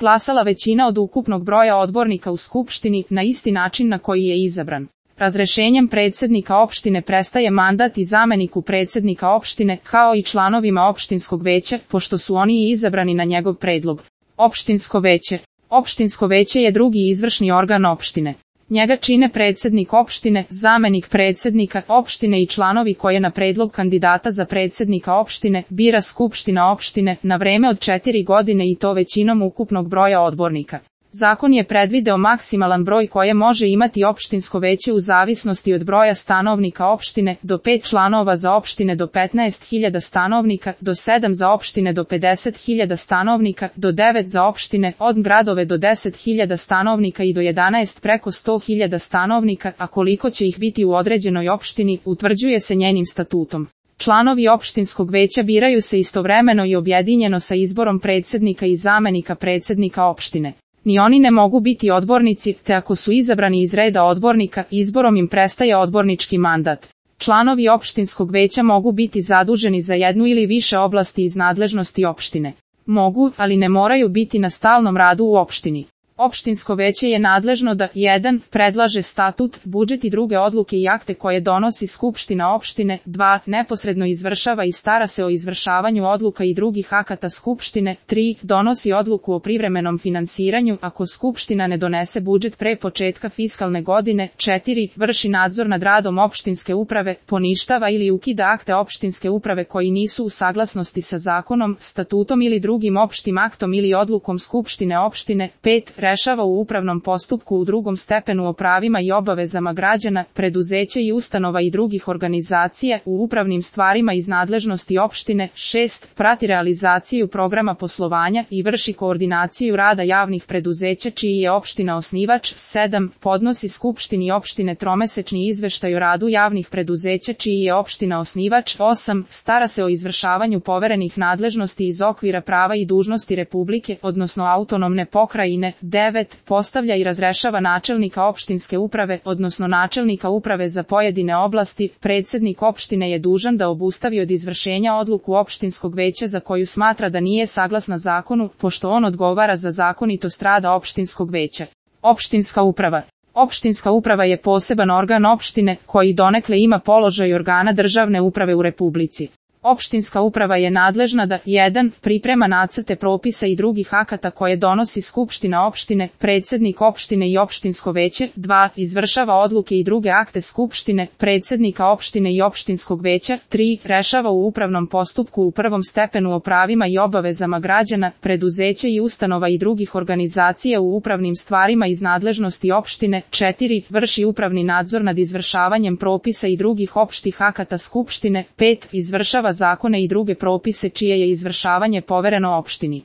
glasala većina od ukupnog broja odbornika u skupštini na isti način na koji je izabran. Razrešenjem predsjednika opštine prestaje mandat i zameniku predsjednika opštine, kao i članovima opštinskog veća, pošto su oni i izabrani na njegov predlog. Opštinsko veće. Opštinsko veće je drugi izvršni organ opštine. Njega čine predsjednik opštine, zamenik predsjednika opštine i članovi koje na predlog kandidata za predsjednika opštine bira skupština opštine na vreme od 4 godine i to većinom ukupnog broja odbornika. Zakon je predvideo maksimalan broj koje može imati opštinsko veće u zavisnosti od broja stanovnika opštine, do 5 članova za opštine do 15.000 stanovnika, do 7 za opštine do 50.000 stanovnika, do 9 za opštine od gradove do 10.000 stanovnika i do 11 preko 100.000 stanovnika, a koliko će ih biti u određenoj opštini, utvrđuje se njenim statutom. Članovi opštinskog veća biraju se istovremeno i objedinjeno sa izborom predsjednika i zamenika predsjednika opštine. Ni oni ne mogu biti odbornici, te ako su izabrani iz reda odbornika, izborom im prestaje odbornički mandat. Članovi opštinskog veća mogu biti zaduženi za jednu ili više oblasti iz nadležnosti opštine. Mogu, ali ne moraju biti na stalnom radu u opštini. Opštinsko veće je nadležno da 1. predlaže statut, budžet i druge odluke i akte koje donosi skupština opštine, 2. neposredno izvršava i stara se o izvršavanju odluka i drugih akata skupštine, 3. donosi odluku o privremenom finansiranju ako skupština ne donese budžet pre početka fiskalne godine, 4. vrši nadzor nad radom opštinske uprave, poništava ili ukida akte opštinske uprave koji nisu u saglasnosti sa zakonom, statutom ili drugim opštim aktom ili odlukom skupštine opštine, 5. rešava u upravnom postupku u drugom stepenu o pravima i obavezama građana, preduzeća i ustanova i drugih organizacija u upravnim stvarima iz nadležnosti opštine, 6. prati realizaciju programa poslovanja i vrši koordinaciju rada javnih preduzeća čiji je opština osnivač, 7. podnosi skupštini opštine tromesečni izveštaj o radu javnih preduzeća čiji je opština osnivač, 8. stara se o izvršavanju poverenih nadležnosti iz okvira prava i dužnosti Republike, odnosno autonomne pokrajine, 9. postavlja i razrešava načelnika opštinske uprave, odnosno načelnika uprave za pojedine oblasti. Predsjednik opštine je dužan da obustavi od izvršenja odluku opštinskog veća za koju smatra da nije saglasna zakonu, pošto on odgovara za zakonitost rada opštinskog veća. Opštinska uprava. Opštinska uprava je poseban organ opštine, koji donekle ima položaj organa državne uprave u Republici. Opštinska uprava je nadležna da 1. priprema nacrte propisa i drugih akata koje donosi skupština opštine, predsjednik opštine i opštinsko veće, 2. izvršava odluke i druge akte skupštine, predsjednika opštine i opštinskog veća, 3. rešava u upravnom postupku u prvom stepenu o pravima i obavezama građana, preduzeća i ustanova i drugih organizacija u upravnim stvarima iz nadležnosti opštine, 4. vrši upravni nadzor nad izvršavanjem propisa i drugih opštih akata skupštine, 5. izvršava zakone i druge propise čije je izvršavanje povereno opštini.